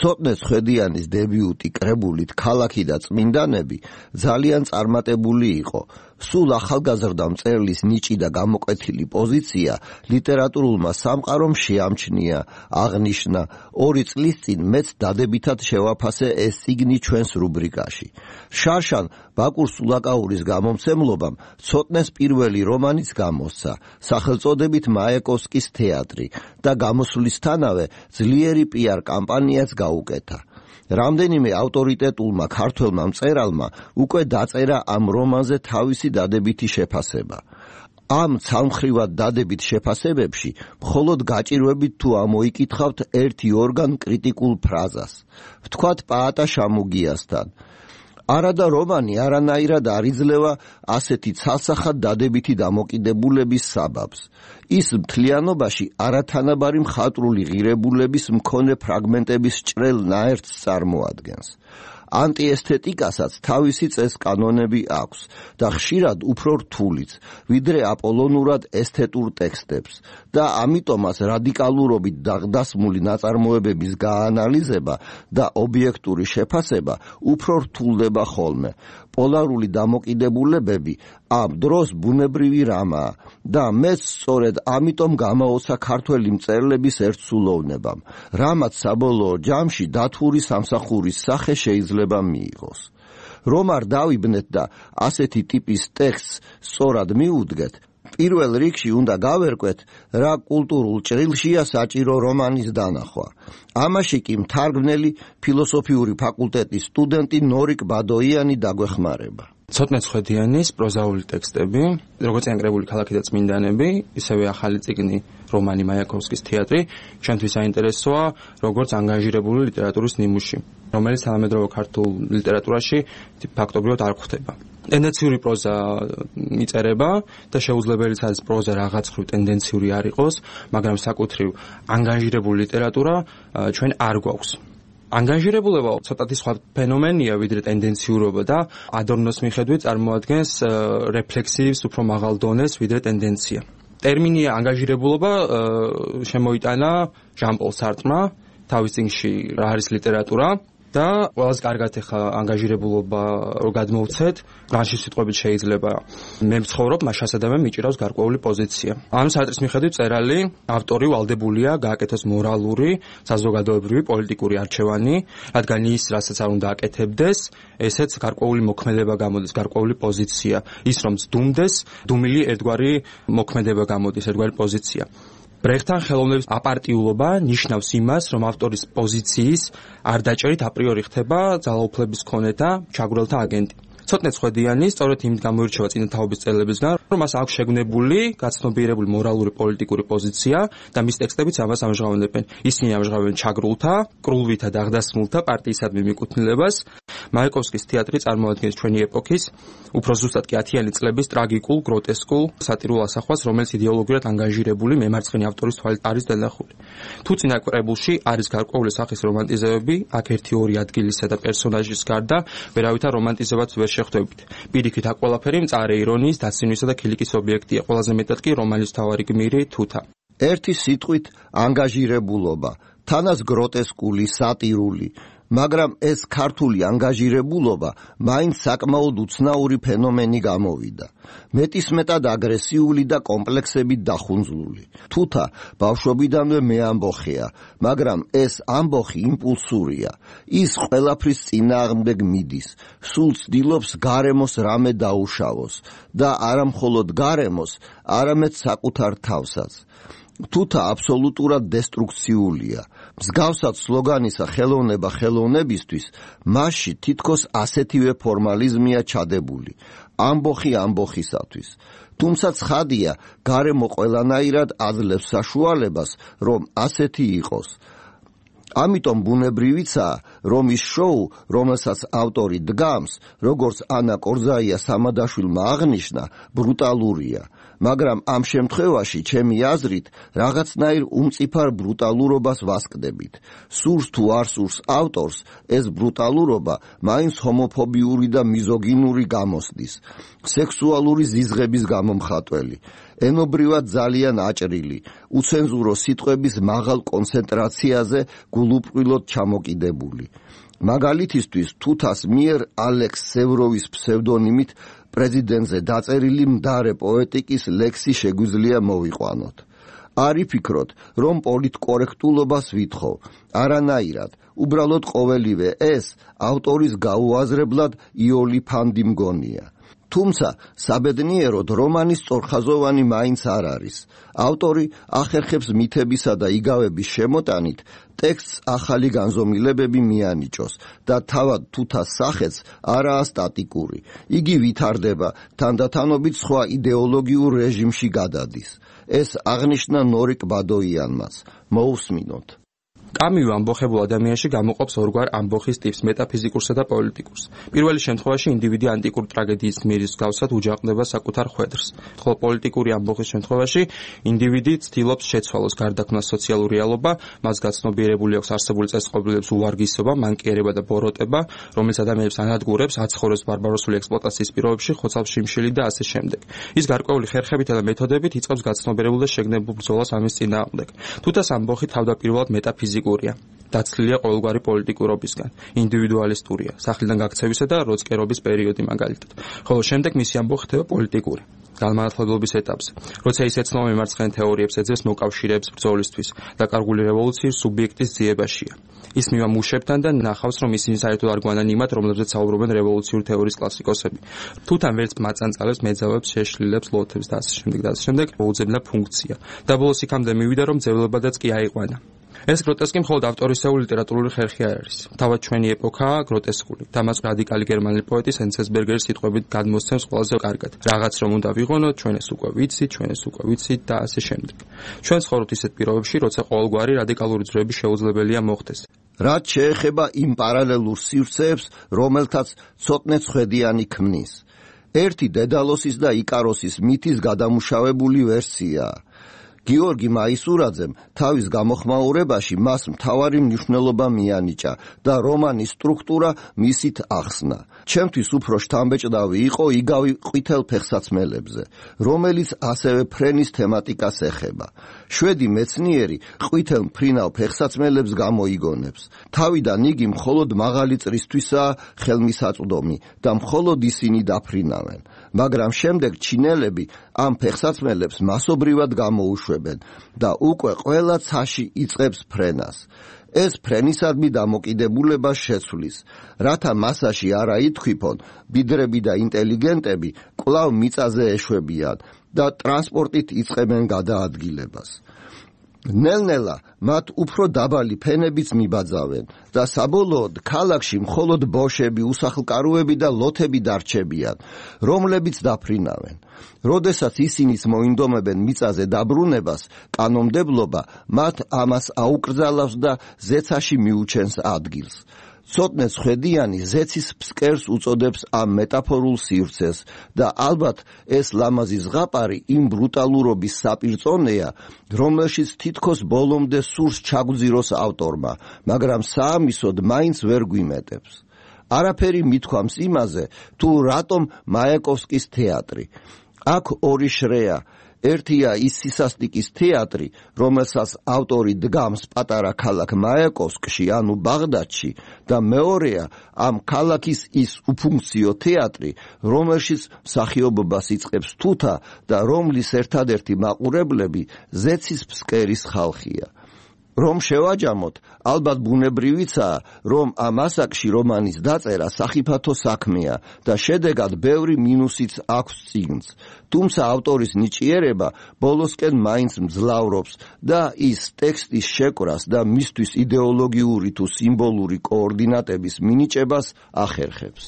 ცოტნეს ხვედიანის დებიუტი კრებულით ქალაქი და წმინდანები ძალიან წარმატებული იყო. სულ ახალგაზრდა მწერლის ნიჭი და გამოკვეთილი პოზიცია ლიტერატურულმა სამყარომ შეამჩნია, აღნიშნა. 2 წლის წინ მეც დადებითად შევაფასე ეს სიგნი ჩვენს რუბრიკაში. შარშან ბაკურ სულაკაურის გამომცემლობამ ცოტნეს პირველი რომანიც გამოსცა, სახელწოდებით მაიაკოვსკის თეატრი და გამოსვლისთანავე ძლიერი PR კამპანიაც გაუკეთა. რამდენიმე ავტორიტეტულმა ქართველმა მწერალმა უკვე დაწერა ამ რომანზე თავისი დადებითი შეფასება. ამ ცალმხრივად დადებით შეფასებებში მხოლოდ გაჭირვებით თუ ამოიკითხავთ 1-2 კრიტიკულ ფრაზას. ვთქვათ პაატა შამუგიასთან. არადა რომანი არანაირად არ იძლევა ასეთი ცალსახად დადებითი დამოკიდებულების საბაბს. ის მთლიანობაში არათანაბარი მხატვრული ღირებულების მქონე ფრაგმენტების ჭრელ ნაერთს წარმოადგენს. ანტიესთეტიკასაც თავისი წესკანონები აქვს და ხშირად უფრო რთულიც, ვიდრე აპოლონურად ესთეტურ ტექსტებს და ამიტომაც რადიკალურობით დასმული ნაწარმოებების გაანალიზება და ობიექტური შეფასება უფრო რთულდება ხოლმე. პოლარული დამოკიდებულებები ამ დროს ბუნებრივი რამაა და მეც სწორედ ამიტომ გამაოცა ქართველი მწერლების ერთსულოვნებამ, რამაც საბოლოო ჯამში დათვური სამსახურის სახე შეიძლება მიიღოს. რომ არ დავიბნეთ და ასეთი ტიპის ტექსტს სწორად მიუდგეთ, პირველ რიგში უნდა გავერკვეთ, რა კულტურულ ჭრილშია საჭირო რომანის დანახვა. ამაში კი მთარგმნელი ფილოსოფიური ფაკულტეტის სტუდენტი ნორიკ ბადოიანი დაგვეხმარება. ცოტნეს ხვედიანის პროზაული ტექსტები, როგორც ანგრებული ქალაქი და წმინდანები, ისევე ახალი წიგნი რომანი მაიაკოვსკის თეატრი, ჩვენთვის საინტერესოა როგორც ანგაჟირებული ლიტერატურის ნიმუში, რომელიც თანამედროვე ქართულ ლიტერატურაში ფაქტობრივად არ გვხვდება. ტენდენციური პროზა მიწერება და შეუძლებელიც არის პროზა რაღაც ხრივ ტენდენციური არ იყოს, მაგრამ საკუთრივ ანგაჟირებული ლიტერატურა ჩვენ არ გვაქვს. ანგაჟირებულება ცოტათი სხვა ფენომენია ვიდრე ტენდენციურობა და ადორნოს მიხედვით წარმოადგენს რეფლექსივის უფრო მაღალ დონეს ვიდრე ტენდენცია. ტერმინი ანგაჟირებულობა შემოიტანა ჟან-პოლ სარტმა თავის წიგნში რა არის ლიტერატურა და ყველაზე კარგად ეხა ანგაჟირებულობა რო გადმოვცეთ, განში სიტყვებით შეიძლება მე მცხოვრობ, მას შესაძლოა მიჭირავს გარკვეული პოზიცია. ამ სარტრის მიხედვით წერალი ავტორი ვალდებულია გააკეთოს მორალური, საზოგადოებრივი, პოლიტიკური არჩევანი, რადგან ის რასაც არ უნდა აკეთებდეს, ესეც გარკვეული მოქმედება გამოდის, გარკვეული პოზიცია. ის რომ ძდუმდეს, დუმილი ერთგვარი მოქმედება გამოდის, ერთგვარი პოზიცია. ბრეხტთან ხელოვნების აპარტიულობა ნიშნავს იმას, რომ ავტორის პოზიციის არ დაჭერით აპრიორი ხდება ძალაუფლების მქონე და ჩაგვრელთა აგენტი. ცოტნეს ხვედიანი სწორედ იმით გამოირჩევა წინათაობის წელებისგან, რომ მას აქვს შეგნებული, გაცნობიერებული მორალური პოლიტიკური პოზიცია და მის ტექსტებიც ამას ამჟღავნებენ. ისინი ამჟღავნებენ ჩაგრულთა, კრულვითა და აღდასმულთა პარტიისადმი მიკუთვნილებას. მაიაკოვსკის თეატრი წარმოადგენს ჩვენი ეპოქის, უფრო ზუსტად კი 10-იანი წლების ტრაგიკულ, გროტესკულ სატირულ ასახვას, რომელიც იდეოლოგიურად ანგაჟირებული მემარცხენე ავტორის თვალით არის დანახული. თუ წინა კრებულში არის გარკვეული სახის რომანტიზებები, აქ 1-2 ადგილისა და პერსონაჟის გარდა ვერავითარ რომანტიზებაც ვერ შეხვდებით. პირიქით აქ ყველაფერი მწარე ირონიის, დაცინვისა და ქილიკის ობიექტია, ყველაზე მეტად კი რომანის მთავარი გმირი თუთა. ერთი სიტყვით ანგაჟირებულობა, თანაც გროტესკული, სატირული, მაგრამ ეს ქართული ანგაჟირებულობა მაინც საკმაოდ უცნაური ფენომენი გამოვიდა. მეტისმეტად აგრესიული და კომპლექსებით დახუნძლული. თუთა ბავშვობიდანვე მეამბოხეა, მაგრამ ეს ამბოხი იმპულსურია. ის ყველაფრის წინააღმდეგ მიდის, სულ ცდილობს გარემოს რამე დაუშავოს და არა მხოლოდ გარემოს, არამედ საკუთარ თავსაც. თუთა აბსოლუტურად დესტრუქციულია. მსგავსად სლოგანისა ხელოვნება ხელოვნებისთვის, მასში თითქოს ასეთივე ფორმალიზმია ჩადებული. ამბოხი ამბოხისათვის. თუმცა ცხადია, გარემო ყველანაირად აძლევს საშუალებას, რომ ასეთი იყოს. ამიტომ ბუნებრივიცაა, რომ ის შოუ, რომელსაც ავტორი დგამს, როგორც ანა კორზაია სამადაშვილმა აღნიშნა, ბრუტალურია. მაგრამ ამ შემთხვევაში, ჩემი აზრით, რაღაცნაირ უმწიფარ ბრუტალურობას ვასკდებით. სურს თუ არ სურს ავტორს, ეს ბრუტალურობა მაინც ჰომოფობიური და მიზოგინური გამოსდის, სექსუალური ზიზღების გამომხატველი. ენობრივად ძალიან აჭრილი, უცენზურო სიტყვების მაღალ კონცენტრაციაზე გულუბრყვილოდ ჩამოკიდებული. მაგალითისთვის თუთას მიერ ალექს სევროვის ფსევდონიმით პრეზიდენტზე დაწერილი მდარე პოეტიკის ლექსი შეგვიძლია მოვიყვანოთ. არ იფიქროთ, რომ პოლიტკორექტულობას ვითხოვ, არანაირად, უბრალოდ ყოველივე ეს ავტორის გაუაზრებლად იოლიფანდი მგონია. თუმცა საბედნიეროდ რომანის სწორხაზოვანი მაინც არ არის. ავტორი ახერხებს მითებისა და იგავების შემოტანით ტექსტს ახალი განზომილებები მიანიჭოს და თავად თუთას სახელს არაა სტატიკური. იგი ვითარდება, თანდათანობით სხვა იდეოლოგიურ რეჟიმში გადადის. ეს აღნიშნა ნორიკ ბადოიანმაც. მოусმინოთ. კამიუ ამბოხებულ ადამიანში გამოყოფს ორგვარ ამბოხის ტიპს, მეტაფიზიკურსა და პოლიტიკურს. პირველი შემთხვევაში ინდივიდი ანტიკურ ტრაგედიის გმირის მსგავსად უჯაყდება საკუთარ ხვედრს, ხოლო პოლიტიკური ამბოხის შემთხვევაში ინდივიდი ცდილობს შეცვალოს გარდაქმნას სოციალური რეალობა, მას გაცნობიერებული აქვს არსებული წესწყობილების უვარგისობა, მანკიერება და ბოროტება, რომელიც ადამიანებს ანადგურებს, აცხოვრებს ბარბაროსული ექსპლუატაციის პირობებში, ხოცავს შიმშილი და ასე შემდეგ. ის გარკვეული ხერხებითა და მეთოდებით იწყებს გაცნობიერებულ და შეგნებულ ბრძოლას ამის წინააღმდეგ. თუთას ამბოხი თავდაპირველად მეტაფიზიკურია. დაცლილია ყოველგვარი პოლიტიკურობისგან, ინდივიდუალისტურია, სახლიდან გაქცევისა და როწკერობის პერიოდი მაგალითად. ხოლო შემდეგ მისი ამბოხი ხდება პოლიტიკური. განმანათლებლობის ეტაპზე, როცა ის ეცნობა მემარცხენე თეორიებს, ეძებს მოკავშირეებს ბრძოლისთვის, დაკარგული რევოლუციის სუბიექტის ძიებაშია. ის მივამუშებთან და ნახავს, რომ ისინი საერთოდ არ გვანან იმათ, რომლებზეც საუბრობენ რევოლუციური თეორიის კლასიკოსები. თუთან ვერც მაწანწალებს, მეძავებს, შეშლილებს, ლოთებს და ასე შემდეგ, მოუძებნა ფუნქცია. და ბოლოს იქამდე მივიდა, რომ ძევლებადაც კი აიყვანა. ეს გროტესკი მხოლოდ ავტორისეული ლიტერატურული ხერხი არ არის. თავად ჩვენი ეპოქაა გროტესკული. თამას რადიკალი გერმანელი პოეტი სენცესბერგერის სიტყვებით გადმოსცემს ყველაზე კარგად. რაღაც რომ უნდა ვიღონოთ, ჩვენ ეს უკვე ვიცით და ასე შემდეგ. ჩვენ ცხოვრობთ ისეთ პირობებში, როცა ყოველგვარი რადიკალური ძროები შეუძლებელია მოხდეს. რაც შეეხება იმ პარალელურ სივრცეებს, რომელთაც ცოტნე ცხვედიანი ქმნის. ერთი დედალოსის და იკაროსის მითის გადამუშავებული ვერსიაა. გიორგი მაისურაძემ თავის გამოხმაურებაში მას მთავარი მნიშვნელობა მიანიჭა და რომანის სტრუქტურა მისით ახსნა. ჩემთვის უფრო შთამბეჭდავი იყო იგავი ყვითელ ფეხსაცმელებზე, რომელიც ასევე ფრენის თემატიკას ეხება. შვედი მეცნიერი ყვითელ მფრინავ ფეხსაცმელებს გამოიგონებს. თავიდან იგი მხოლოდ მაღალი წრისთვისაა ხელმისაწვდომი და მხოლოდ ისინი დაფრინავენ. მაგრამ შემდეგ ჩინელები ამ ფეხსაცმელებს მასობრივად გამოუშვებენ და უკვე ყველა ცაში იწყებს ფრენას. ეს ფრენისადმი დამოკიდებულება შეცვლის, რათა მასაში არა ითქვიფონ, ბიდრები და ინტელიგენტები კვლავ მიწაზე ეშვებიან და ტრანსპორტით იწყებენ გადაადგილებას. ნელ-ნელა მათ უფრო დაბალი ფენებიც მიბაძავენ და საბოლოოდ ქალაქში მხოლოდ ბოშები, უსახლკაროები და ლოთები დარჩებიან, რომლებიც დაფრინავენ. როდესაც ისინიც მოინდომებენ მიწაზე დაბრუნებას, კანონმდებლობა მათ ამას აუკრძალავს და ზეცაში მიუჩენს ადგილს. ცოტნე ცხვედიანი ზეცის ფსკერს უწოდებს ამ მეტაფორულ სივრცეს და ალბათ ეს ლამაზი ზღაპარი იმ ბრუტალურობის საპირწონეა, რომელშიც თითქოს ბოლომდე სურს ჩაგვძიროს ავტორმა, მაგრამ საამისოდ მაინც ვერ გვიმეტებს. არაფერი მithქვამს იმაზე, თუ რატომ მაიაკოვსკის თეატრი. აქ ორი შრეა. ერთია ის სისასტიკის თეატრი, რომელსაც ავტორი დგამს პატარა ქალაქ მაიაკოვსკში, ანუ ბაღდადში, და მეორეა ამ ქალაქის ის უფუნქციო თეატრი, რომელშიც მსახიობობას იწყებს თუთა და რომლის ერთადერთი მაყურებლები ზეცის ფსკერის ხალხია. რომ შევაჯამოთ, ალბათ ბუნებრივიცაა, რომ ამ ასაკში რომანის დაწერა სახიფათო საქმეა და შედეგად ბევრი მინუსიც აქვს წიგნს. თუმცა ავტორის ნიჭიერება ბოლოსკენ მაინც მძლავრობს და ის ტექსტის შეკვრას და მისთვის იდეოლოგიური თუ სიმბოლური კოორდინატების მინიჭებას ახერხებს.